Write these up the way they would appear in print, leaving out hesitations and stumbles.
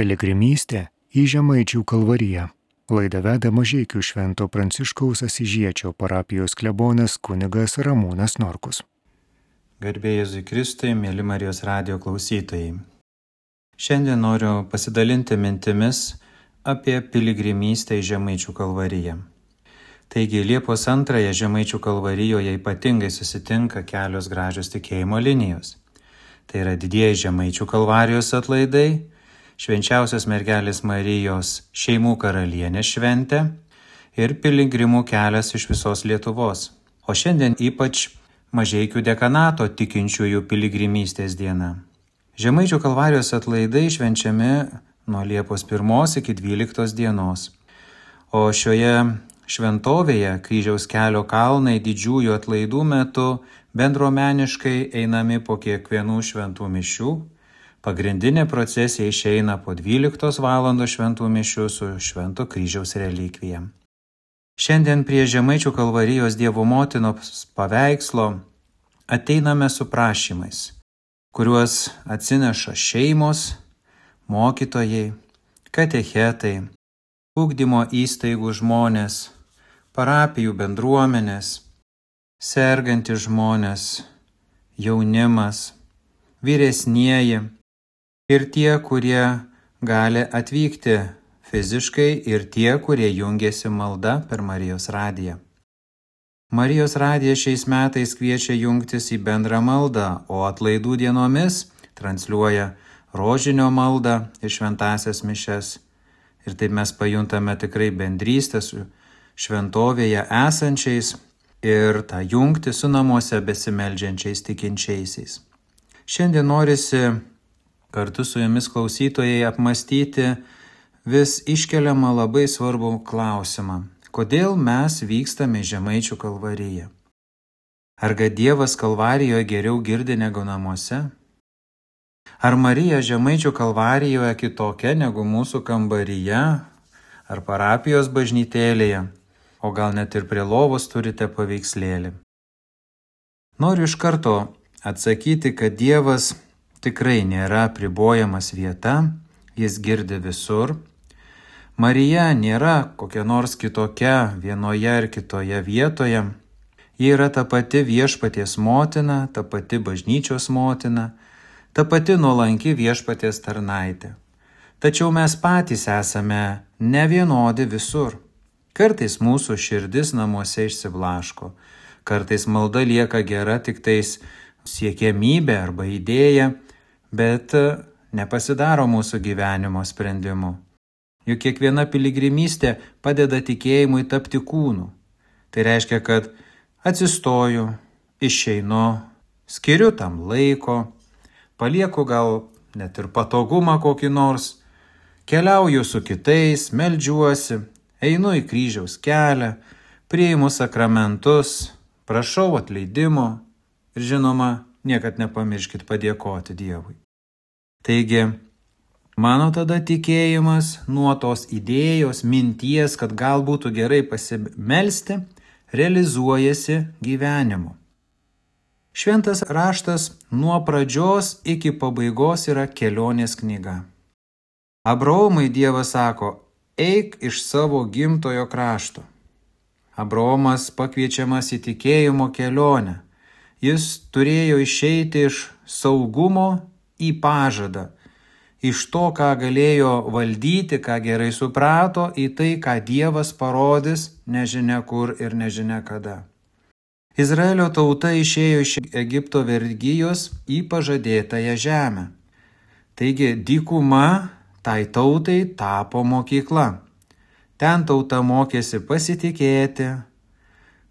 Piligrimystė į Žemaičių Kalvariją. Laidą veda Mažeikių Švento Pranciškaus Asyžiečio parapijos klebonas kunigas Ramūnas Norkus. Garbė Jėzui Kristui, mėly Marijos radijo klausytojai. Šiandien noriu pasidalinti mintimis apie piligrimystę į Žemaičių Kalvariją. Taigi Liepos 2 Žemaičių Kalvarijoje ypatingai susitinka kelios gražios tikėjimo linijos. Tai yra didieji Žemaičių Kalvarijos atlaidai, Švenčiausios Mergelės Marijos šeimų karalienės šventė ir piligrimų kelias iš visos Lietuvos. O šiandien ypač Mažeikių dekanato tikinčiųjų piligrimystės diena. Žemaičių Kalvarijos atlaidai švenčiami nuo Liepos 1 iki 12 dienos. O šioje šventovėje Kryžiaus kelio kalnai didžiųjų atlaidų metu bendruomeniškai einami po kiekvienų šventų mišių. Pagrindinė procesija išeina po 12 val. Šventų mišių su Švento Kryžiaus relikvija. Šiandien prie Žemaičių Kalvarijos Dievo motinos paveikslo ateiname su prašymais, kuriuos atsineša šeimos, mokytojai, katechetai, ugdymo įstaigų žmonės, parapijų bendruomenės, sergantys žmonės, jaunimas, vyresnieji ir tie, kurie gali atvykti fiziškai ir tie, kurie jungiasi malda per Marijos radiją. Marijos radija šiais metais kviečia jungtis į bendrą maldą, o atlaidų dienomis transliuoja rožinio maldą ir šventąsias mišias. Ir taip mes pajuntame tikrai bendrystę su šventovėje esančiais ir tą jungtį su namuose besimeldžiančiais tikinčiaisiais. Šiandien norisi kartu su jumis klausytojai apmastyti vis iškeliamą labai svarbų klausimą. Kodėl mes vykstame į Žemaičių Kalvariją? Argi Dievas Kalvarijoje geriau girdi negu namuose? Ar Marija Žemaičių Kalvarijoje kitokia negu mūsų kambaryje ar parapijos bažnytėlėje, o gal net ir prie lovos turite paveikslėlį? Noriu iš karto atsakyti, kad Dievas tikrai nėra apribojamas vieta, jis girdi visur. Marija nėra kokia nors kitokia vienoje ar kitoje vietoje. Ji yra ta pati Viešpaties motina, ta pati bažnyčios motina, ta pati nuolanki Viešpaties tarnaitė. Tačiau mes patys esame nevienodi visur. Kartais mūsų širdis namuose išsiblaško, kartais malda lieka gera tik tais siekiamybė arba idėja, bet nepasidaro mūsų gyvenimo sprendimu. Juk kiekviena piligrimystė padeda tikėjimui tapti kūnu. Tai reiškia, kad atsistoju, išeinu, skiriu tam laiko, palieku gal net ir patogumą kokį nors, keliauju su kitais, meldžiuosi, einu į kryžiaus kelią, priimu sakramentus, prašau atleidimo ir žinoma, niekad nepamirškit padėkoti Dievui. Taigi, mano tada tikėjimas nuo tos idėjos, minties, kad gal būtų gerai pasimelsti, realizuojasi gyvenimu. Šventas raštas nuo pradžios iki pabaigos yra kelionės knyga. Abraomui Dievas sako, eik iš savo gimtojo krašto. Abraomas pakviečiamas į tikėjimo kelionę. Jis turėjo išeiti iš saugumo į pažadą, iš to, ką galėjo valdyti, ką gerai suprato, į tai, ką Dievas parodys nežinia kur ir nežinia kada. Izraelio tauta išėjo iš Egipto vergijos į pažadėtąją žemę. Taigi dykuma tai tautai tapo mokykla. Ten tauta mokėsi pasitikėti,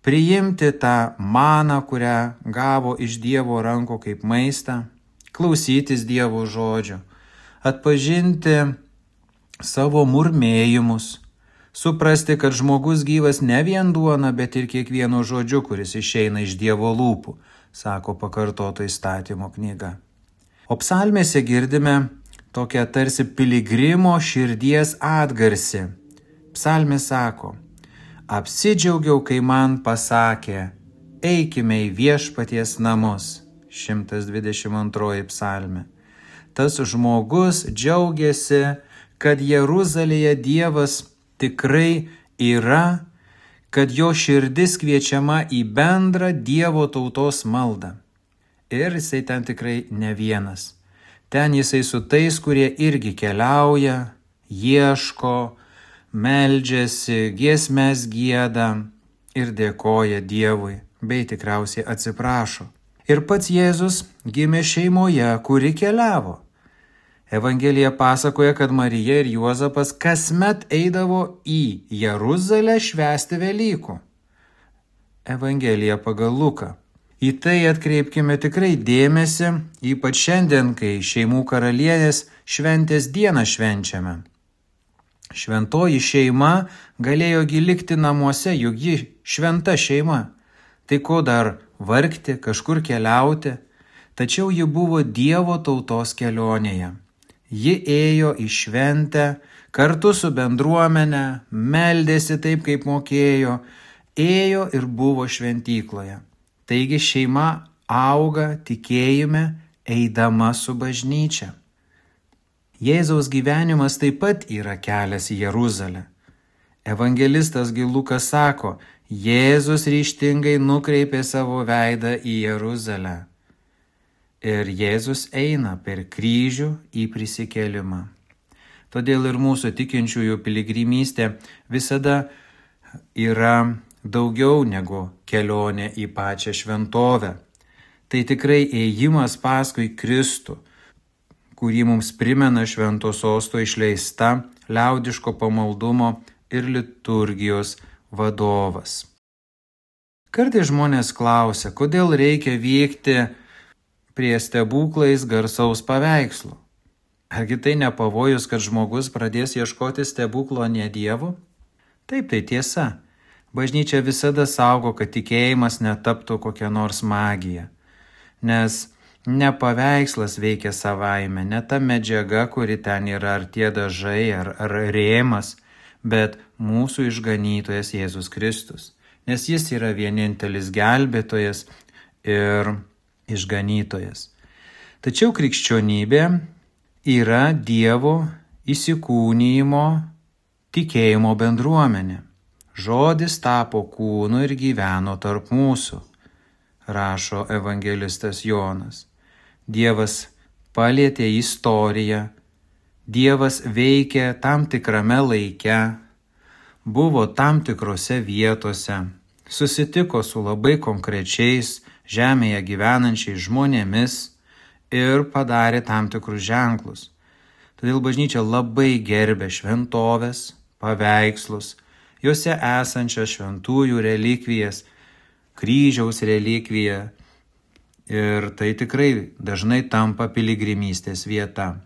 priimti tą maną, kurią gavo iš Dievo rankų kaip maistą, klausytis Dievo žodžio, atpažinti savo murmėjimus, suprasti, kad žmogus gyvas ne vien duona, bet ir kiekvienu žodžiu, kuris išeina iš Dievo lūpų, sako pakartoto įstatymo knyga. O psalmėse girdime tokią tarsi piligrimo širdies atgarsį. Psalmė sako, apsidžiaugiau, kai man pasakė, eikime į Viešpaties namus. 122 psalmė. Tas žmogus džiaugiasi kad Jeruzalėje Dievas tikrai yra, kad jo širdis kviečiama į bendrą Dievo tautos maldą. Ir jisai ten tikrai ne vienas. Ten jisai su tais, kurie irgi keliauja, ieško, meldžiasi, giesmes gieda ir dėkoja Dievui, bei tikriausiai atsiprašo. Ir pats Jėzus gimė šeimoje, kuri keliavo. Evangelija pasakoja, kad Marija ir Juozapas kasmet eidavo į Jeruzalę švęsti Velykų. Evangelija pagal Luką. Į tai atkreipkime tikrai dėmesį, ypač šiandien, kai šeimų karalienės šventės dieną švenčiame. Šventoji šeima galėjo likti namuose, juk ji šventa šeima. Tai ko dar vargti, kažkur keliauti? Tačiau ji buvo Dievo tautos kelionėje. Ji ėjo į šventę kartu su bendruomene, meldėsi taip, kaip mokėjo, ėjo ir buvo šventykloje. Taigi šeima auga tikėjime, eidama su bažnyčia. Jėzaus gyvenimas taip pat yra kelias į Jeruzalę. Evangelistas Lukas sako, Jėzus ryžtingai nukreipė savo veidą į Jeruzalę. Ir Jėzus eina per kryžių į prisikėlimą. Todėl ir mūsų tikinčiųjų piligrimystė visada yra daugiau negu kelionė į pačią šventovę. Tai tikrai ėjimas paskui Kristų, kurį mums primena švento sosto išleista liaudiško pamaldumo ir liturgijos vadovas. Kartais žmonės klausia, kodėl reikia vykti prie stebuklais garsaus paveikslo. Argi tai ne pavojus, kad žmogus pradės ieškoti stebuklo ne Dievu? Taip, tai tiesa. Bažnyčia visada saugo, kad tikėjimas netaptų kokia nors magija. Nes ne paveikslas veikia savaime, ne ta medžiaga, kuri ten yra, ar tie dažai, ar rėmas, bet mūsų išganytojas Jėzus Kristus. Nes jis yra vienintelis gelbėtojas ir išganytojas. Tačiau krikščionybė yra Dievo įsikūnijimo tikėjimo bendruomenė. Žodis tapo kūnu ir gyveno tarp mūsų, rašo evangelistas Jonas. Dievas palietė istoriją, Dievas veikė tam tikrame laike, buvo tam tikrose vietose, susitiko su labai konkrečiais žemėje gyvenančiais žmonėmis ir padarė tam tikrus ženklus. Todėl bažnyčia labai gerbė šventoves, paveikslus, juose esančias šventųjų relikvijas, kryžiaus relikviją ir tai tikrai dažnai tampa piligrimystės vieta.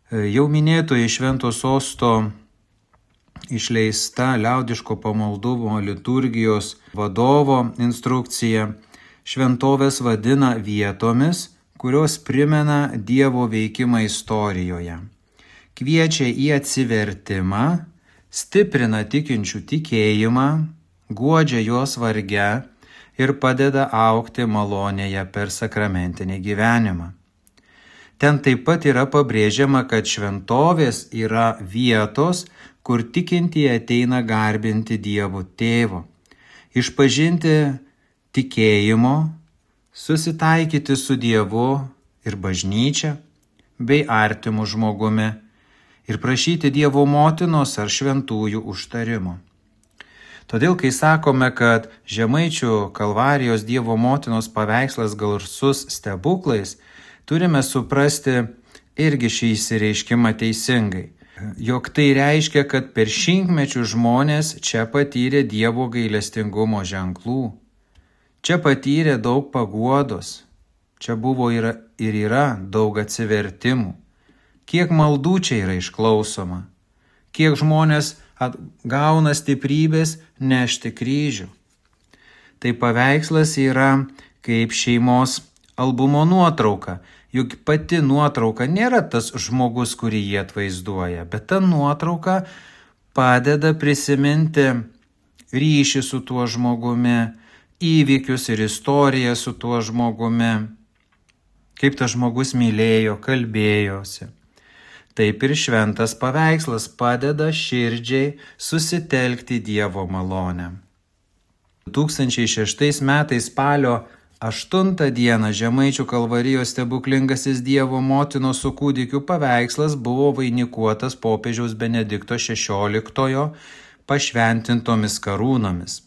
Jau minėtoji švento sosto išleista liaudiško pamaldumo liturgijos vadovo instrukcija šventovės vadina vietomis, kurios primena Dievo veikimą istorijoje. Kviečia į atsivertimą, stiprina tikinčių tikėjimą, guodžia juos varge ir padeda augti malonėje per sakramentinį gyvenimą. Ten taip pat yra pabrėžiama, kad šventovės yra vietos, kur tikintieji ateina garbinti Dievo Tėvo, išpažinti tikėjimo, susitaikyti su Dievu ir bažnyčia bei artimu žmogumi ir prašyti Dievo motinos ar šventųjų užtarimo. Todėl, kai sakome, kad Žemaičių Kalvarijos Dievo motinos paveikslas garsus stebuklais, turime suprasti irgi šį išsireiškimą teisingai. Jog tai reiškia, kad per šimtmečių žmonės čia patyrė Dievo gailestingumo ženklų. Čia patyrė daug paguodos. Čia buvo ir yra daug atsivertimų. Kiek maldų čia yra išklausoma. Kiek žmonės gauna stiprybės nešti kryžių. Tai paveikslas yra kaip šeimos albumo nuotrauka. Juk pati nuotrauka nėra tas žmogus, kurį jie atvaizduoja, bet ta nuotrauka padeda prisiminti ryšį su tuo žmogumi, įvykius ir istoriją su tuo žmogumi, kaip tas žmogus mylėjo, kalbėjosi. taip ir šventas paveikslas padeda širdžiai susitelkti Dievo malonę. 2006 metais spalio 8 dieną Žemaičių Kalvarijos stebuklingasis Dievo motinos su kūdikiu paveikslas buvo vainikuotas popiežiaus Benedikto XVI pašventintomis karūnomis.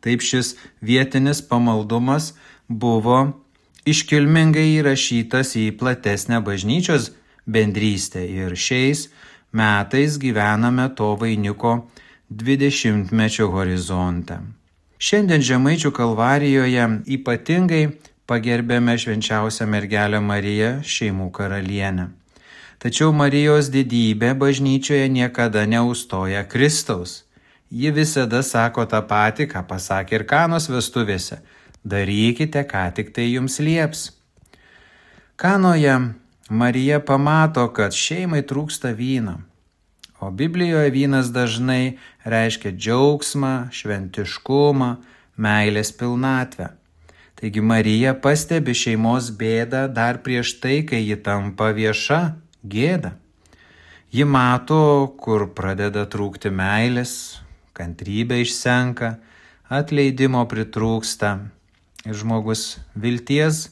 Taip šis vietinis pamaldumas buvo iškilmingai įrašytas į platesnę bažnyčios bendrystę ir šiais metais gyvename to vainiko 20-mečio horizonte. Šiandien Žemaičių Kalvarijoje ypatingai pagerbėme švenčiausią mergelę Mariją, šeimų karalienę. Tačiau Marijos didybė bažnyčioje niekada neužstoja Kristaus. Ji visada sako tą patį, ką pasakė ir Kanos vestuvėse. Darykite, ką tik tai jums lieps. Kanoje Marija pamato, kad šeimai trūksta vyno. O Biblijoje vynas dažnai reiškia džiaugsmą, šventiškumą, meilės pilnatvę. Taigi Marija pastebi šeimos bėdą dar prieš tai, kai ji tampa vieša gėda. Ji mato, kur pradeda trūkti meilės, kantrybė išsenka, atleidimo pritrūksta ir žmogus vilties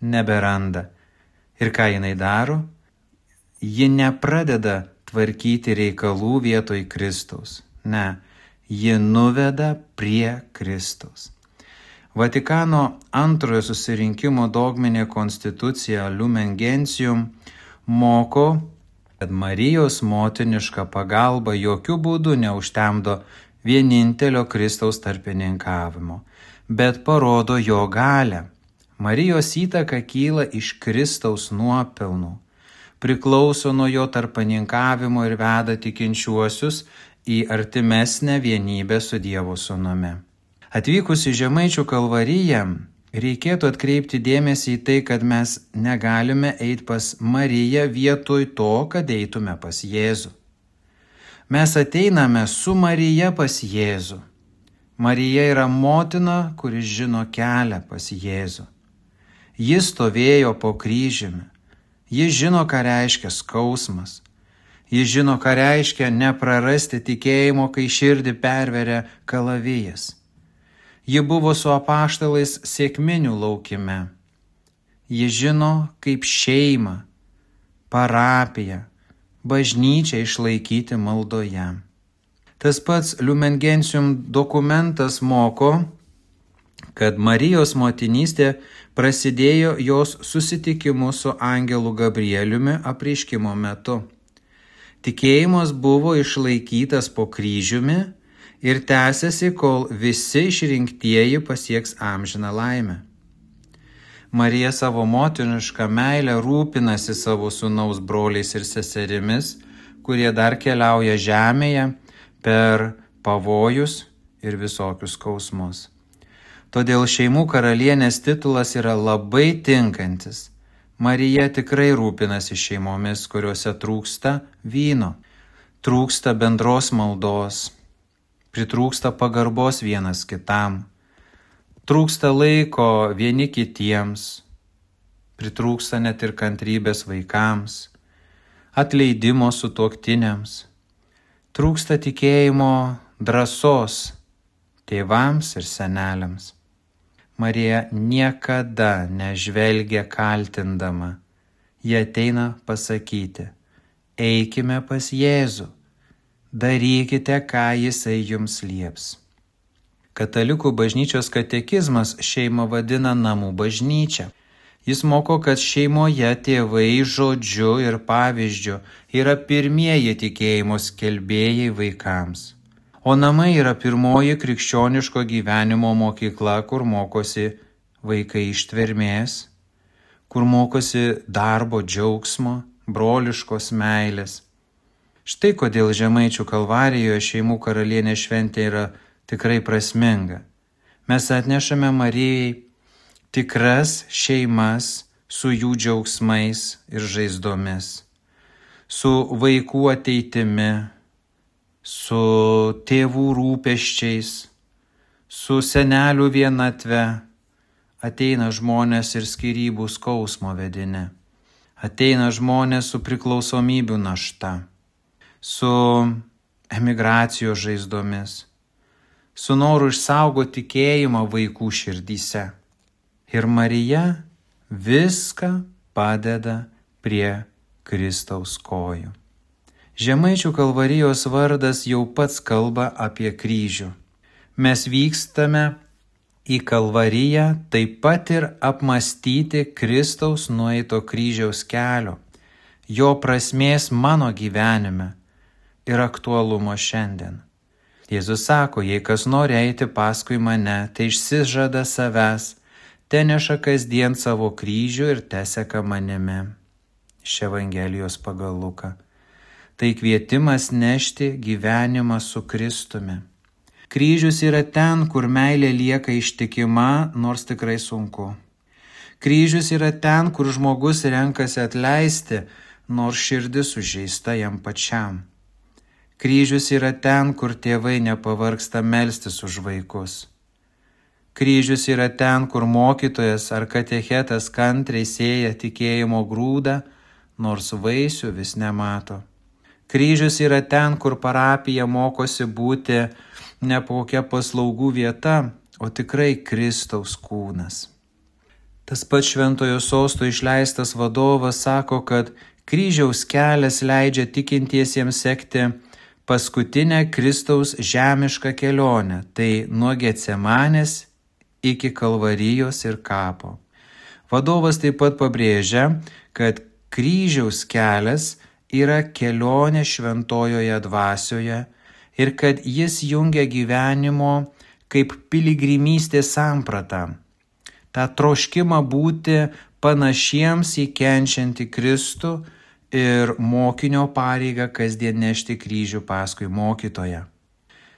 neberanda. Ir ką jinai daro? Ji nepradeda tvarkyti reikalų vietoj Kristaus. Ne, ji nuveda prie Kristaus. Vatikano antrojo susirinkimo dogminė konstitucija Lumen Gentium moko, kad Marijos motiniška pagalba jokių būdų neužtemdo vienintelio Kristaus tarpininkavimo, bet parodo jo galią. Marijos įtaka kyla iš Kristaus nuopelnų, priklauso nuo jo tarpininkavimo ir veda tikinčiuosius į artimesnę vienybę su Dievo Sūnumi. Atvykus į Žemaičių Kalvariją, reikėtų atkreipti dėmesį į tai, kad mes negalime eiti pas Mariją vietoj to, kad eitume pas Jėzų. Mes ateiname su Marija pas Jėzų. Marija yra motina, kuris žino kelią pas Jėzų. Jis stovėjo po kryžiumi. Jis žino, ką reiškia skausmas. Jis žino, ką reiškia neprarasti tikėjimo, kai širdį perveria kalavijas. Ji buvo su apaštalais sėkminių laukime. Ji žino, kaip šeimą, parapiją, bažnyčią išlaikyti maldoje. Tas pats Lumen Gentium dokumentas moko, kad Marijos motinystė prasidėjo jos susitikimu su angelu Gabrieliumi apreiškimo metu. Tikėjimas buvo išlaikytas po kryžiumi ir tęsiasi, kol visi išrinktieji pasieks amžiną laimę. Marija savo motinišką meilę rūpinasi savo sūnaus broliais ir seserimis, kurie dar keliauja žemėje per pavojus ir visokius skausmus. Todėl šeimų karalienės titulas yra labai tinkantis. Marija tikrai rūpinasi šeimomis, kuriuose trūksta vyno, trūksta bendros maldos, pritrūksta pagarbos vienas kitam, trūksta laiko vieni kitiems, pritrūksta net ir kantrybės vaikams, atleidimo sutuoktiniams, trūksta tikėjimo drąsos tėvams ir seneliams. Marija niekada nežvelgia kaltindama. Ji ateina pasakyti: eikime pas Jėzų, darykite, ką Jisai jums lieps. Katalikų bažnyčios katekizmas šeimą vadina namų bažnyčia. Jis moko, kad šeimoje tėvai žodžiu ir pavyzdžiu yra pirmieji tikėjimo skelbėjai vaikams. O namai yra pirmoji krikščioniško gyvenimo mokykla, kur mokosi vaikai ištvermės, kur mokosi darbo džiaugsmo, broliškos meilės. Štai kodėl Žemaičių Kalvarijoje šeimų karalienės šventė yra tikrai prasminga. Mes atnešame Marijai tikras šeimas su jų džiaugsmais ir žaizdomis, su vaikų ateitimi, su tėvų rūpesčiais, su senelių vienatve. Ateina žmonės ir skyrybų skausmo vedini. Ateina žmonės su priklausomybių našta, su emigracijos žaizdomis, su noru išsaugoti tikėjimą vaikų širdyse. Ir Marija viską padeda prie Kristaus kojų. Žemaičių Kalvarijos vardas jau pats kalba apie kryžių. Mes vykstame į Kalvariją taip pat ir apmąstyti Kristaus nueito kryžiaus kelio, jo prasmės mano gyvenime ir aktualumo šiandien. Jėzus sako, jei kas nori eiti paskui mane, tai išsižada savęs, teneša kasdien savo kryžių ir teseka manimi. Iš Evangelijos pagal Luką. Tai kvietimas nešti gyvenimą su Kristumi. Kryžius yra ten, kur meilė lieka ištikima, nors tikrai sunku. Kryžius yra ten, kur žmogus renkasi atleisti, nors širdis sužeista jam pačiam. Kryžius yra ten, kur tėvai nepavargsta melstis už vaikus. Kryžius yra ten, kur mokytojas ar katechetas kantriai sėja tikėjimo grūdą, nors vaisių vis nemato. Kryžius yra ten, kur parapija mokosi būti ne kokia paslaugų vieta, o tikrai Kristaus kūnas. Tas pats Šventojo Sosto išleistas vadovas sako, kad kryžiaus kelias leidžia tikintiesiems sekti paskutinę Kristaus žemišką kelionę, tai nuo Getsemanės iki Kalvarijos ir kapo. Vadovas taip pat pabrėžia, kad kryžiaus kelias yra kelionė šventojoje dvasioje ir kad jis jungia gyvenimo kaip piligrimystės sampratą, tą troškimą būti panašiems į kenčiantį Kristų ir mokinio pareigą kasdien nešti kryžių paskui mokytoją.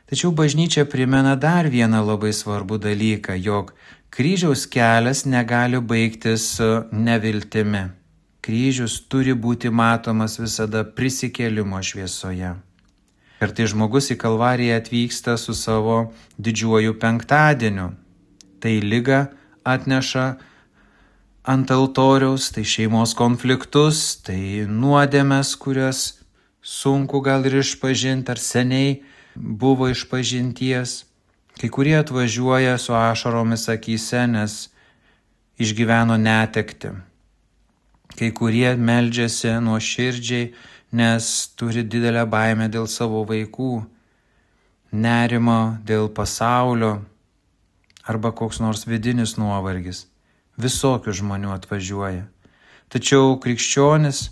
Tačiau bažnyčia primena dar vieną labai svarbų dalyką, jog kryžiaus kelias negali baigtis neviltimi. Kryžius turi būti matomas visada prisikėlimo šviesoje. Kartais žmogus į Kalvariją atvyksta su savo didžiuoju penktadieniu. Tai ligą atneša ant altoriaus, tai šeimos konfliktus, tai nuodėmes, kurias sunku gal ir išpažinti, ar seniai buvo išpažinties. Kai kurie atvažiuoja su ašaromis akyse, nes išgyveno netektį. Kai kurie meldžiasi nuoširdžiai, nes turi didelę baimę dėl savo vaikų, nerimo dėl pasaulio arba koks nors vidinis nuovargis. Visokių žmonių atvažiuoja. Tačiau krikščionis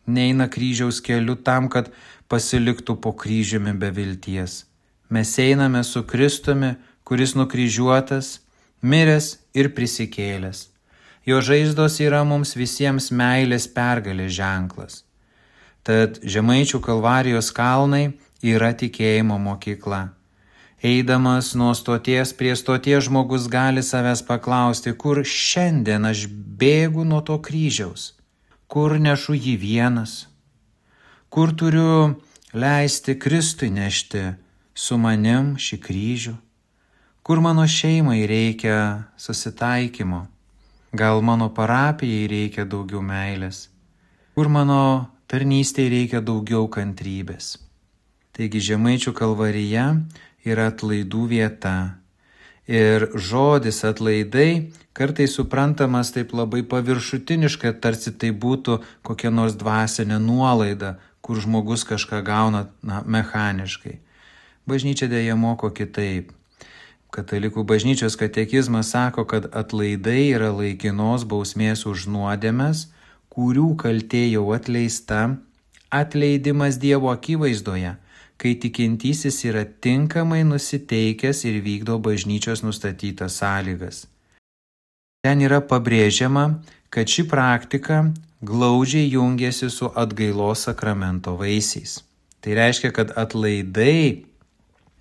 neina kryžiaus keliu tam, kad pasiliktų po kryžiumi be vilties. Mes einame su Kristumi, kuris nukryžiuotas, miręs ir prisikėlęs. Jo žaizdos yra mums visiems meilės pergalės ženklas. Tad Žemaičių Kalvarijos kalnai yra tikėjimo mokykla. Eidamas nuo stoties prie stoties žmogus gali savęs paklausti, kur šiandien aš bėgu nuo to kryžiaus, kur nešu jį vienas, kur turiu leisti Kristui nešti su manim šį kryžių, kur mano šeimai reikia susitaikymo, gal mano parapijai reikia daugiau meilės, kur mano tarnystėje reikia daugiau kantrybės. Taigi Žemaičių Kalvarija yra atlaidų vieta. Ir žodis atlaidai kartais suprantamas taip labai paviršutiniškai, tarsi tai būtų kokia nors dvasinė nuolaida, kur žmogus kažką gauna mechaniškai. Bažnyčia dėja moko kitaip. Katalikų bažnyčios katekizmas sako, kad atlaidai yra laikinos bausmės už nuodėmes, kurių kaltė jau atleista, atleidimas Dievo akivaizdoje, kai tikintysis yra tinkamai nusiteikęs ir vykdo bažnyčios nustatytas sąlygas. Ten yra pabrėžiama, kad ši praktika glaudžiai jungiasi su atgailos sakramento vaisiais. Tai reiškia, kad atlaidai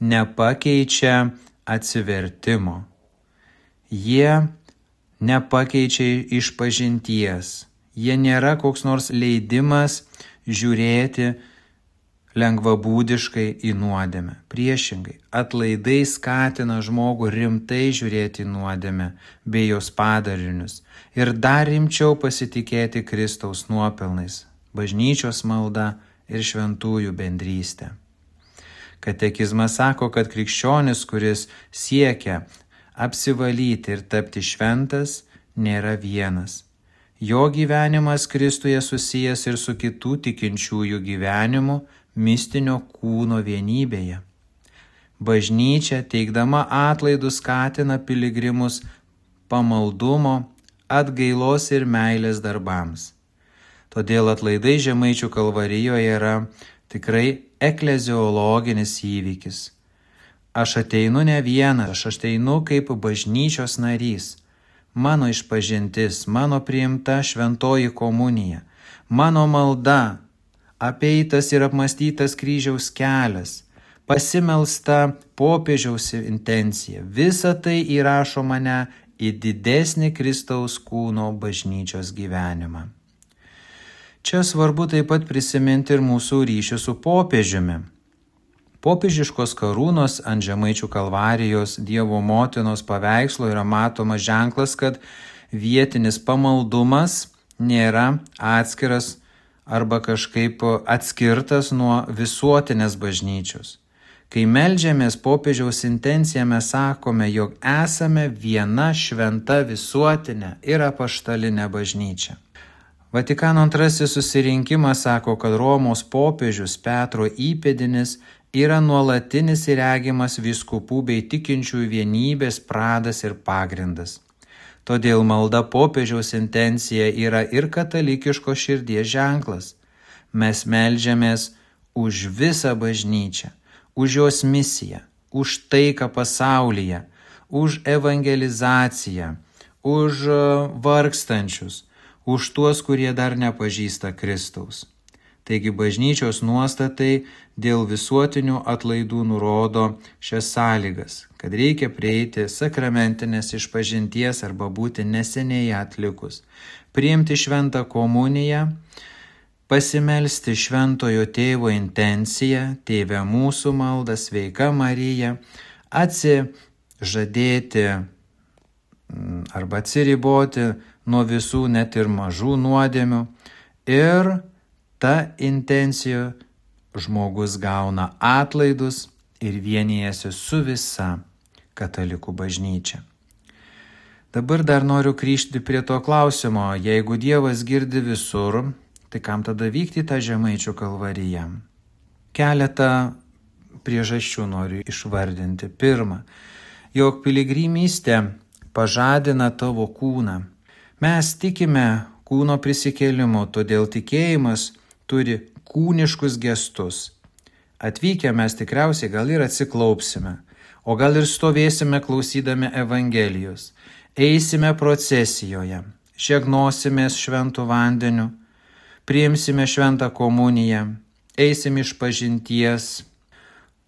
nepakeičia atsivertimo. Jie nepakeičia išpažinties. Jie nėra koks nors leidimas žiūrėti lengvabūdiškai į nuodėmę. Priešingai, atlaidai skatina žmogų rimtai žiūrėti į nuodėmę bei jos padarinius ir dar rimčiau pasitikėti Kristaus nuopelnais, bažnyčios malda ir šventųjų bendrystė. Katekizmas sako, kad krikščionis, kuris siekia apsivalyti ir tapti šventas, nėra vienas. Jo gyvenimas Kristuje susijęs ir su kitų tikinčiųjų gyvenimu mistinio kūno vienybėje. Bažnyčia, teikdama atlaidus, skatina piligrimus pamaldumo, atgailos ir meilės darbams. Todėl atlaidai Žemaičių Kalvarijoje yra tikrai ekleziologinis įvykis. Aš ateinu ne vienas, aš ateinu kaip bažnyčios narys. Mano išpažintis, mano priimta šventoji komunija, mano malda, apeitas ir apmąstytas kryžiaus kelias, pasimelsta popiežiaus intencija. Visa tai įrašo mane į didesnį Kristaus kūno bažnyčios gyvenimą. Čia svarbu taip pat prisiminti ir mūsų ryšį su popiežiumi. Popiežiškos karūnos ant Žemaičių Kalvarijos Dievo motinos paveikslo yra matomas ženklas, kad vietinis pamaldumas nėra atskiras arba kažkaip atskirtas nuo visuotinės bažnyčios. Kai meldžiamės popiežiaus intenciją, mes sakome, jog esame viena šventa visuotinė ir apaštalinė bažnyčia. Vatikano antrasis susirinkimas sako, kad Romos popiežius Petro įpėdinis yra nuolatinis ir regimas vyskupų bei tikinčiųjų vienybės pradas ir pagrindas. Todėl malda popiežiaus intencija yra ir katalikiško širdies ženklas. Mes meldžiamės už visą bažnyčią, už jos misiją, už taiką pasaulyje, už evangelizaciją, už vargstančius, už tuos, kurie dar nepažįsta Kristaus. Taigi bažnyčios nuostatai dėl visuotinių atlaidų nurodo šias sąlygas, kad reikia prieiti sakramentinės išpažinties arba būti neseniai atlikus, priimti šventą komuniją, pasimelsti šventojo tėvo intenciją, Tėve mūsų maldą, Sveika Marija, atsižadėti arba atsiriboti nuo visų net ir mažų nuodėmių ir ta intencija žmogus gauna atlaidus ir vienijasi su visa katalikų bažnyčia. Dabar dar noriu grįžti prie to klausimo, jeigu Dievas girdi visur, tai kam tada vykti tą Žemaičių Kalvariją? Keletą priežasčių noriu išvardinti. Pirma, jog piligrimystė pažadina tavo kūną. Mes tikime kūno prisikėlimu, todėl tikėjimas turi kūniškus gestus. Atvykę mes tikriausiai gal ir atsiklaupsime, o gal ir stovėsime klausydami Evangelijos, eisime procesijoje, šėgnosimės šventų vandeniu, priimsime šventą komuniją, eisim išpažinties,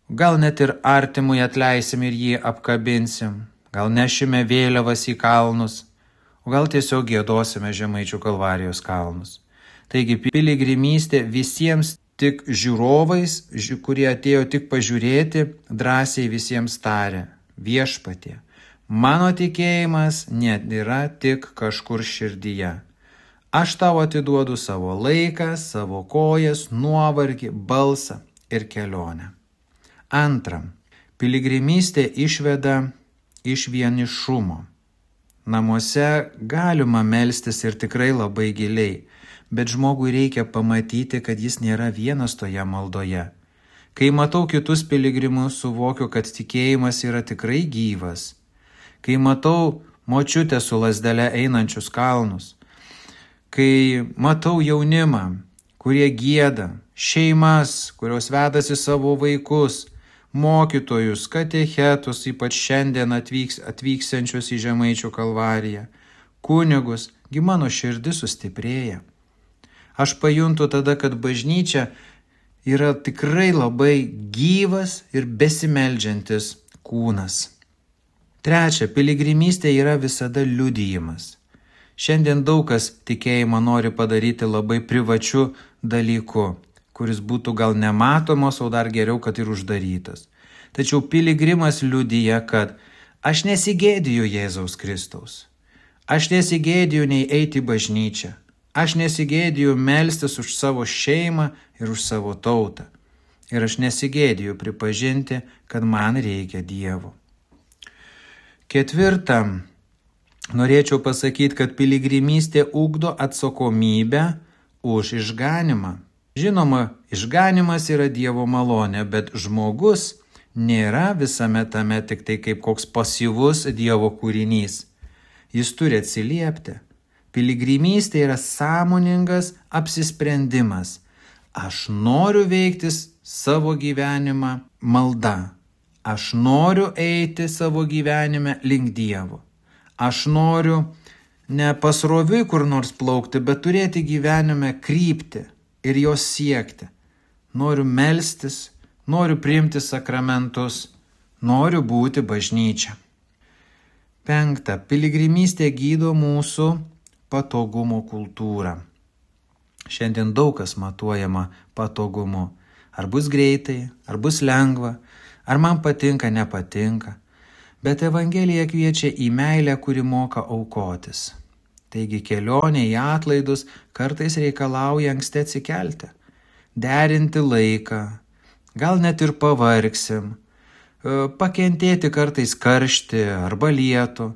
gal net ir artimui atleisim ir jį apkabinsim, gal nešime vėliavas į kalnus, o gal tiesiog giedosime Žemaičių Kalvarijos kalnus. Taigi piligrimystė visiems tik žiūrovais, kurie atėjo tik pažiūrėti, drąsiai visiems tarė: Viešpatie, mano tikėjimas net yra tik kažkur širdyje. Aš tau atiduodu savo laiką, savo kojas, nuovargį, balsą ir kelionę. Antra, piligrimystė išveda iš vienišumo. Namuose galima melstis ir tikrai labai giliai, bet žmogui reikia pamatyti, kad jis nėra vienas toje maldoje. Kai matau kitus piligrimus, suvokiu, kad tikėjimas yra tikrai gyvas. Kai matau močiutę su lazdele einančius kalnus, kai matau jaunimą, kurie gieda, šeimas, kurios vedasi savo vaikus, mokytojus, katechetus, ypač šiandien atvyksiančius į Žemaičių Kalvariją, kunigus, gi mano širdis sustiprėja. Aš pajuntu tada, kad bažnyčia yra tikrai labai gyvas ir besimeldžiantis kūnas. Trečia, piligrimystė yra visada liudijimas. Šiandien daug kas tikėjimą nori padaryti labai privačiu dalyku, kuris būtų gal nematomos, o dar geriau, kad ir uždarytas. Tačiau piligrimas liudija, kad aš nesigėdiju Jėzaus Kristaus. Aš nesigėdiju nei eiti į bažnyčią. Aš nesigėdiju melstis už savo šeimą ir už savo tautą. Ir aš nesigėdiju pripažinti, kad man reikia Dievo. 4. Norėčiau pasakyti, kad piligrimystė ugdo atsakomybę už išganimą. Žinoma, išganimas yra Dievo malonė, bet žmogus nėra visame tame tik tai kaip koks pasyvus Dievo kūrinys. Jis turi atsiliepti. Piligrimystė yra sąmoningas apsisprendimas. Aš noriu veiktis savo gyvenimą malda. Aš noriu eiti savo gyvenime link Dievo. Aš noriu ne pasroviui kur nors plaukti, bet turėti gyvenime kryptį ir jos siekti. Noriu melstis, noriu priimti sakramentus, noriu būti bažnyčia. 5. Piligrimystė gydo mūsų patogumo kultūrą. Šiandien daug kas matuojama patogumu. Ar bus greitai, ar bus lengva, ar man patinka, nepatinka. Bet Evangelija kviečia į meilę, kuri moka aukotis. Taigi kelionė į atlaidus kartais reikalauja anksti atsikelti, derinti laiką, gal net ir pavargsim, pakentėti kartais karštį arba lietų,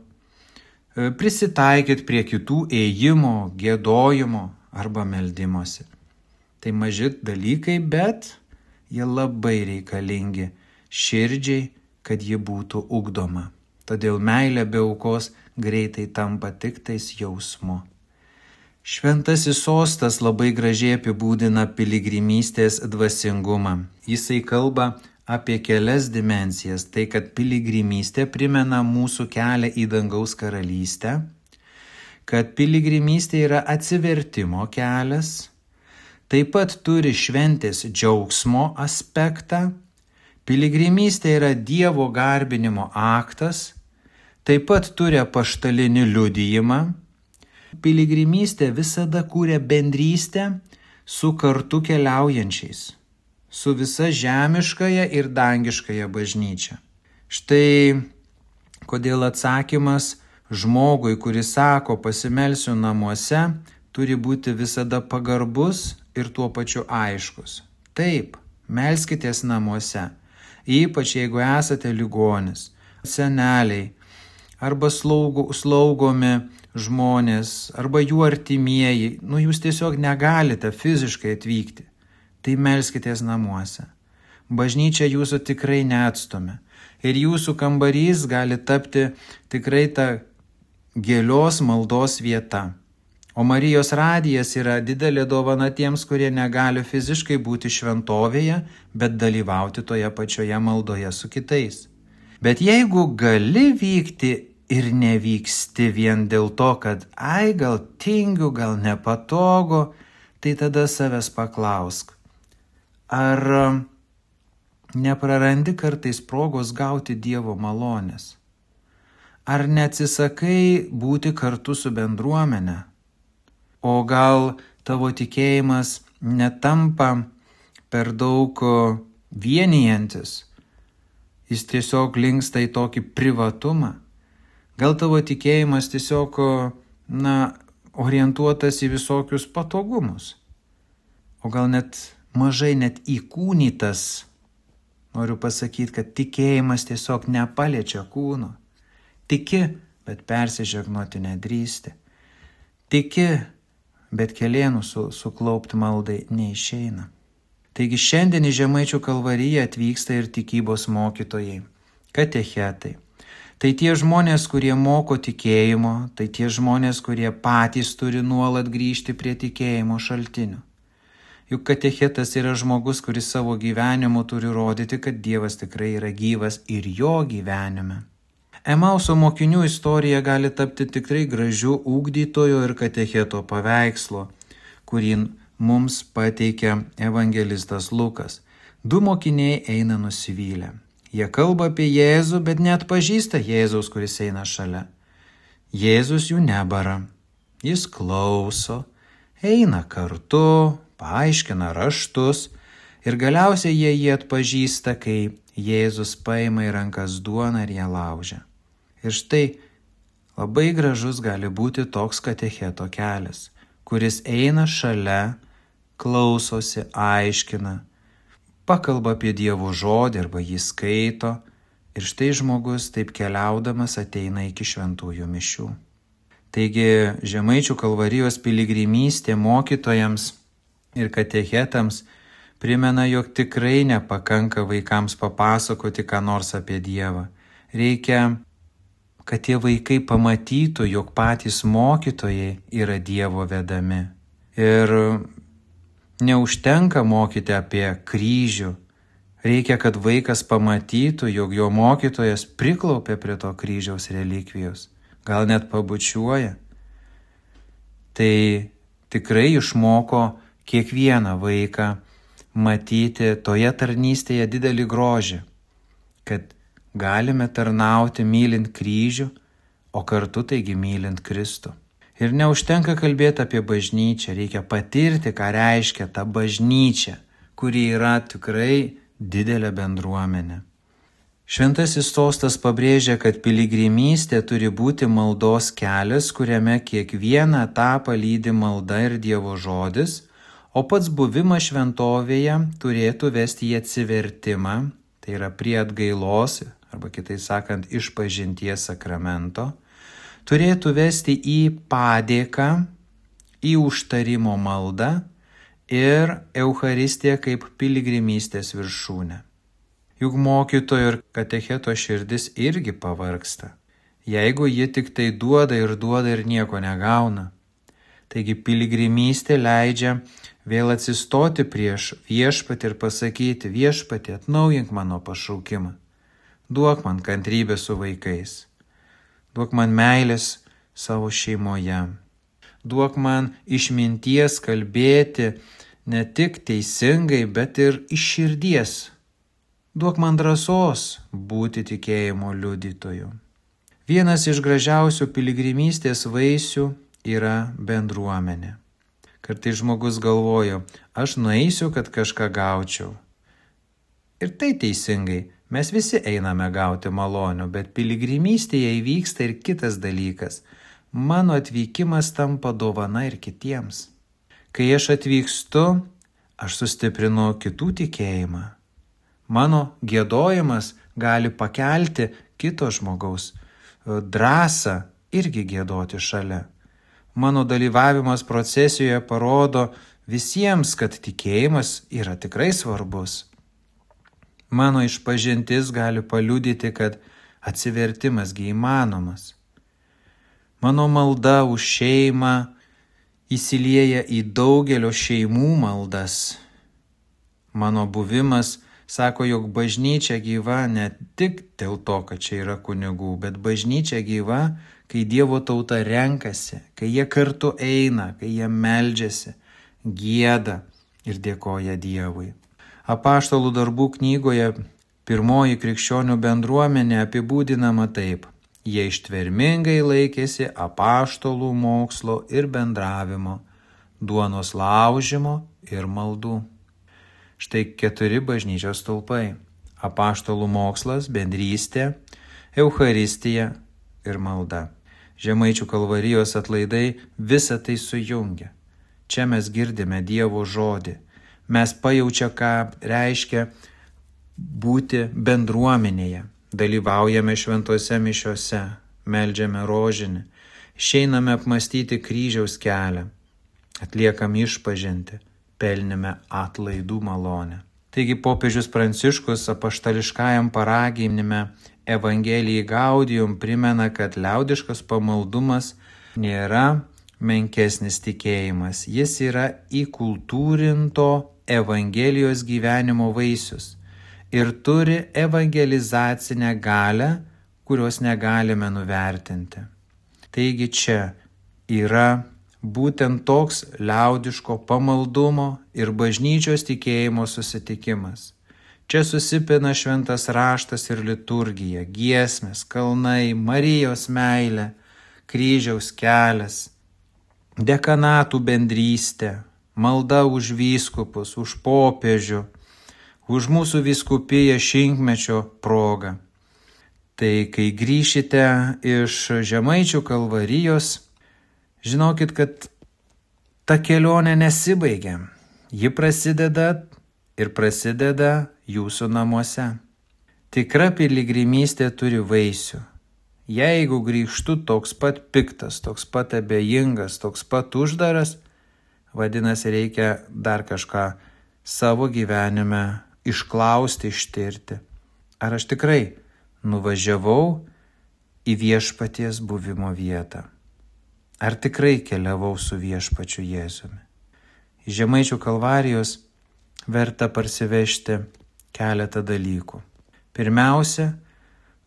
prisitaikyti prie kitų ėjimo, giedojimo arba meldimosi. Tai maži dalykai, bet jie labai reikalingi širdžiai, kad ji būtų ugdoma. Todėl meilė be aukos greitai tampa tik tais jausmu. Šventasis sostas labai gražiai apibūdina piligrimystės dvasingumą. Jisai kalba apie kelias dimensijas. Tai, kad piligrimystė primena mūsų kelią į dangaus karalystę, kad piligrimystė yra atsivertimo kelias, taip pat turi šventės džiaugsmo aspektą, piligrimystė yra Dievo garbinimo aktas, taip pat turi apaštalinį liudijimą. Piligrimystė visada kūrė bendrystę su kartu keliaujančiais, su visa žemiškąja ir dangiškąja bažnyčia. Štai kodėl atsakymas žmogui, kuris sako pasimelsiu namuose, turi būti visada pagarbus ir tuo pačiu aiškus. Taip, melskitės namuose, ypač jeigu esate ligonis, seneliai, arba slaugomi žmonės, arba jų artimieji, jūs tiesiog negalite fiziškai atvykti. Tai melskitės namuose. Bažnyčia jūsų tikrai neatstumia. Ir jūsų kambarys gali tapti tikrai ta gilios maldos vieta. O Marijos radijas yra didelė dovana tiems, kurie negali fiziškai būti šventovėje, bet dalyvauti toje pačioje maldoje su kitais. Bet jeigu gali vykti ir nevyksti vien dėl to, kad gal tingiu, gal nepatogu, tai tada savęs paklausk. Ar neprarandi kartais progos gauti Dievo malonės? Ar neatsisakai būti kartu su bendruomenė? O gal tavo tikėjimas netampa per daug vienijantis? Jis tiesiog linksta į tokį privatumą? Gal tavo tikėjimas tiesiog orientuotas į visokius patogumus? O gal net mažai net įkūnytas. Noriu pasakyti, kad tikėjimas tiesiog nepaliečia kūno. Tiki, bet persižegnoti nedrįsti. Tiki, bet kelėnų suklaupti maldai neišeina. Taigi šiandien į Žemaičių kalvariją atvyksta ir tikybos mokytojai, katechetai. Tai tie žmonės, kurie moko tikėjimo, tai tie žmonės, kurie patys turi nuolat grįžti prie tikėjimo šaltinių. Juk katechetas yra žmogus, kuris savo gyvenimu turi rodyti, kad Dievas tikrai yra gyvas ir jo gyvenime. Emauso mokinių istorija gali tapti tikrai gražiu ugdytojo ir katecheto paveikslo, kurį mums pateikia evangelistas Lukas. 2 mokiniai eina nusivylę. Jie kalba apie Jėzų, bet neatpažįsta Jėzaus, kuris eina šalia. Jėzus jų nebara. Jis klauso, eina kartu, paaiškina raštus ir galiausiai jie jį atpažįsta, kai Jėzus paima į rankas duoną ir ją laužia. Ir štai labai gražus gali būti toks katecheto kelias, kuris eina šalia, klausosi, aiškina, pakalba apie Dievo žodį arba jį skaito ir štai žmogus taip keliaudamas ateina iki šventųjų mišių. Taigi Žemaičių Kalvarijos piligrimystė mokytojams ir katechetams primena, jog tikrai nepakanka vaikams papasakoti ką nors apie Dievą. Reikia, kad tie vaikai pamatytų, jog patys mokytojai yra Dievo vedami. Ir neužtenka mokyti apie kryžių. Reikia, kad vaikas pamatytų, jog jo mokytojas priklaupė prie to kryžiaus relikvijos, gal net pabučiuoja. Tai tikrai išmoko kiekvieną vaiką matyti toje tarnystėje didelį grožį, kad galime tarnauti mylint kryžių, o kartu taigi mylint Kristų. Ir neužtenka kalbėti apie bažnyčią, reikia patirti, ką reiškia ta bažnyčia, kuri yra tikrai didelė bendruomenė. Šventasis sostas pabrėžia, kad piligrimystė turi būti maldos kelias, kuriame kiekvieną etapą lydi malda ir Dievo žodis, o pats buvimas šventovėje turėtų vesti į atsivertimą, tai yra prie atgailos, arba kitai sakant, išpažinties sakramento, turėtų vesti į padėką, į užtarimo maldą ir Eucharistiją kaip piligrimystės viršūnę. Juk mokytojo ir katecheto širdis irgi pavargsta, jeigu ji tik tai duoda ir nieko negauna. Taigi piligrimystė leidžia vėl atsistoti prieš Viešpatį ir pasakyti: Viešpatie, atnaujink mano pašaukimą, duok man kantrybę su vaikais, duok man meilės savo šeimoje, duok man išminties kalbėti ne tik teisingai, bet ir iš širdies, duok man drąsos būti tikėjimo liudytoju. Vienas iš gražiausių piligrimystės vaisių yra bendruomenė. Kartais žmogus galvojo, aš nueisiu, kad kažką gaučiau. Ir tai teisingai, mes visi einame gauti malonių, bet piligrimystėje įvyksta ir kitas dalykas. Mano atvykimas tampa dovana ir kitiems. Kai aš atvykstu, aš sustiprinu kitų tikėjimą. Mano giedojimas gali pakelti kito žmogaus drąsą irgi giedoti šalia. Mano dalyvavimas procesijoje parodo visiems, kad tikėjimas yra tikrai svarbus. Mano išpažintis gali paliudyti, kad atsivertimasgi įmanomas. Mano malda už šeimą įsilieja į daugelio šeimų maldas. Mano buvimas sako, jog bažnyčia gyva ne tik dėl to, kad čia yra kunigų, bet bažnyčia gyva, kai Dievo tauta renkasi, kai jie kartu eina, kai jie meldžiasi, gieda ir dėkoja Dievui. Apaštalų darbų knygoje pirmoji krikščionių bendruomenė apibūdinama taip: jie ištvermingai laikėsi apaštalų mokslo ir bendravimo, duonos laužimo ir maldų. Štai 4 bažnyčios stulpai: apaštalų mokslas, bendrystė, Eucharistija ir malda. Žemaičių Kalvarijos atlaidai visą tai sujungia. Čia mes girdime Dievo žodį. Mes pajaučia, ką reiškia būti bendruomenėje. Dalyvaujame šventose mišiose, meldžiame rožinį, išeiname apmastyti kryžiaus kelią, atliekam išpažintį, pelnime atlaidų malonę. Taigi popiežius Pranciškus apaštališkajam paraginime Evangelijai Gaudium primena, kad liaudiškas pamaldumas nėra menkesnis tikėjimas, jis yra įkultūrinto Evangelijos gyvenimo vaisius ir turi evangelizacinę galią, kurios negalime nuvertinti. Taigi čia yra būtent toks liaudiško pamaldumo ir bažnyčios tikėjimo susitikimas. Čia susipina šventas raštas ir liturgija, giesmės, kalnai, Marijos meilė, kryžiaus kelias, dekanatų bendrystė, malda už vyskupus, už popiežių, už mūsų vyskupiją šimtmečio progą. Tai kai grįšite iš Žemaičių Kalvarijos, žinokit, kad ta kelionė nesibaigia. Ji prasideda jūsų namuose. Tikra piligrimystė turi vaisių. Jeigu grįžtu toks pat piktas, toks pat abejingas, toks pat uždaras, vadinasi, reikia dar kažką savo gyvenime išklausti, ištirti. Ar aš tikrai nuvažiavau į viešpaties buvimo vietą? Ar tikrai keliavau su viešpačiu Jėzumi? Į Žemaičių Kalvarijos verta parsivežti keletą dalykų. Pirmiausia,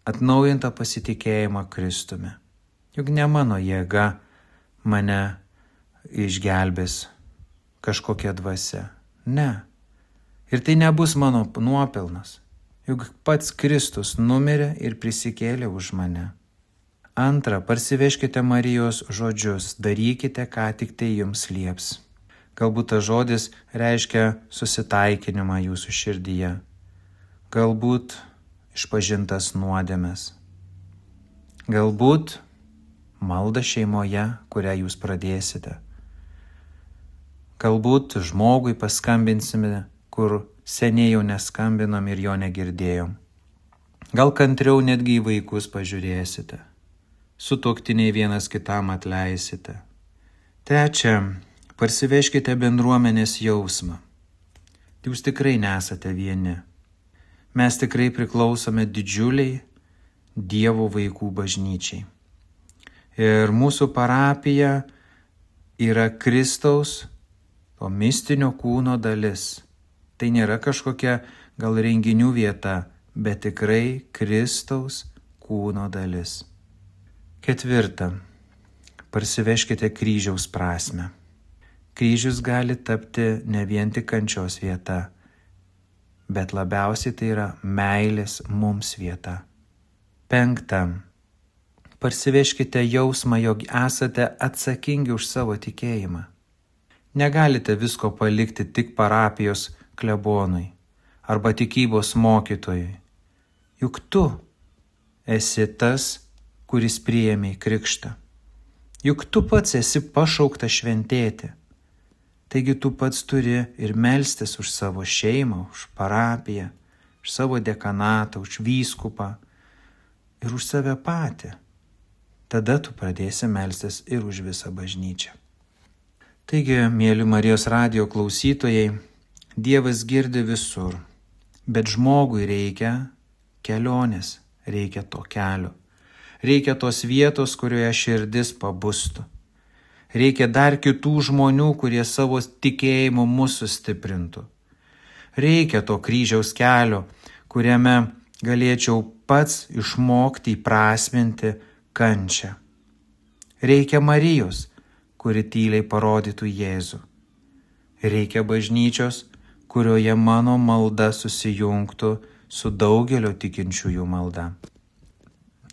atnaujintą pasitikėjimą Kristumi. Juk ne mano jėga mane išgelbės kažkokia dvasia. Ne. Ir tai nebus mano nuopelnas. Juk pats Kristus numirė ir prisikėlė už mane. Antra, parsivežkite Marijos žodžius, darykite, ką tik tai jums lieps. Galbūt tas žodis reiškia susitaikinimą jūsų širdyje. Galbūt išpažintas nuodėmes. Galbūt malda šeimoje, kurią jūs pradėsite. Galbūt žmogui paskambinsime, kur seniai jau neskambinom ir jo negirdėjom. Gal kantriau netgi į vaikus pažiūrėsite. Sutuoktiniai vienas kitam atleisite. Trečia, parsivežkite bendruomenės jausmą. Jūs tikrai nesate vieni. Mes tikrai priklausome didžiuliai Dievo vaikų bažnyčiai. Ir mūsų parapija yra Kristaus, to mistinio kūno dalis. Tai nėra kažkokia gal renginių vieta, bet tikrai Kristaus kūno dalis. Ketvirta, parsivežkite kryžiaus prasmę. Kryžius gali tapti ne vien tik kančios vieta, bet labiausiai tai yra meilės mums vieta. Penkta, parsivežkite jausmą, jog esate atsakingi už savo tikėjimą. Negalite visko palikti tik parapijos klebonui arba tikybos mokytojui. Juk tu esi tas, kuris priėmė krikštą. Juk tu pats esi pašauktas šventėti. Taigi tu pats turi ir melstis už savo šeimą, už parapiją, už savo dekanatą, už vyskupą ir už save patį. Tada tu pradėsi melstis ir už visą bažnyčią. Taigi, mėly Marijos radijo klausytojai, Dievas girdi visur, bet žmogui reikia kelionės, reikia to kelio. Reikia tos vietos, kurioje širdis pabustų. Reikia dar kitų žmonių, kurie savo tikėjimu mus sustiprintų. Reikia to kryžiaus kelio, kuriame galėčiau pats išmokti įprasminti kančią. Reikia Marijos, kuri tyliai parodytų Jėzų. Reikia bažnyčios, kurioje mano malda susijungtų su daugelio tikinčiųjų malda.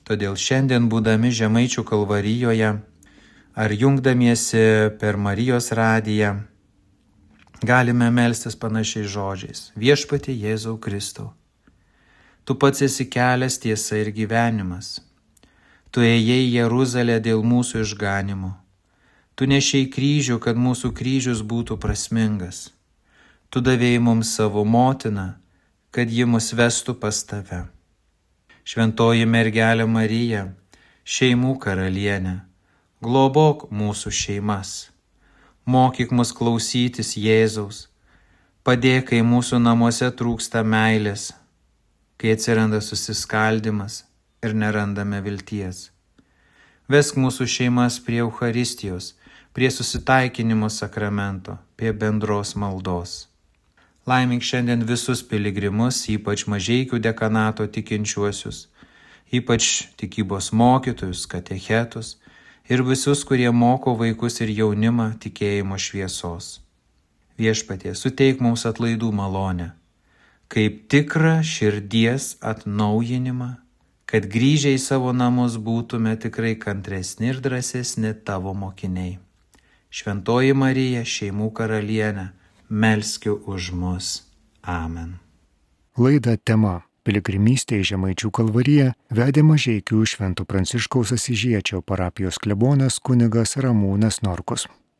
Todėl šiandien, būdami Žemaičių Kalvarijoje ar jungdamiesi per Marijos radiją, galime melstis panašiais žodžiais. Viešpatie Jėzau Kristau, tu pats esi kelias, tiesa ir gyvenimas. Tu ėjai į Jeruzalę dėl mūsų išganimo. Tu nešei kryžių, kad mūsų kryžius būtų prasmingas. Tu davėjai mums savo motiną, kad ji mus vestų pas tave. Šventoji mergelė Marija, šeimų karalienė, globok mūsų šeimas. Mokyk mus klausytis Jėzaus. Padėk, kai mūsų namuose trūksta meilės, kai atsiranda susiskaldimas ir nerandame vilties. Vesk mūsų šeimas prie Eucharistijos, prie susitaikinimo sakramento, prie bendros maldos. Laimink šiandien visus piligrimus, ypač Mažeikių dekanato tikinčiuosius, ypač tikybos mokytojus, katechetus ir visus, kurie moko vaikus ir jaunimą tikėjimo šviesos. Viešpatie, suteik mums atlaidų malonę, kaip tikrą širdies atnaujinimą, kad grįžę į savo namus būtume tikrai kantresni ir drąsesni tavo mokiniai. Šventoji Marija, šeimų karalienė, melski už mus. Amen. Laidą tema Piligrimystė į Žemaičių Kalvariją vedė Mažeikių Švento Pranciškaus Asyžiečio parapijos klebonas kunigas Ramūnas Norkus.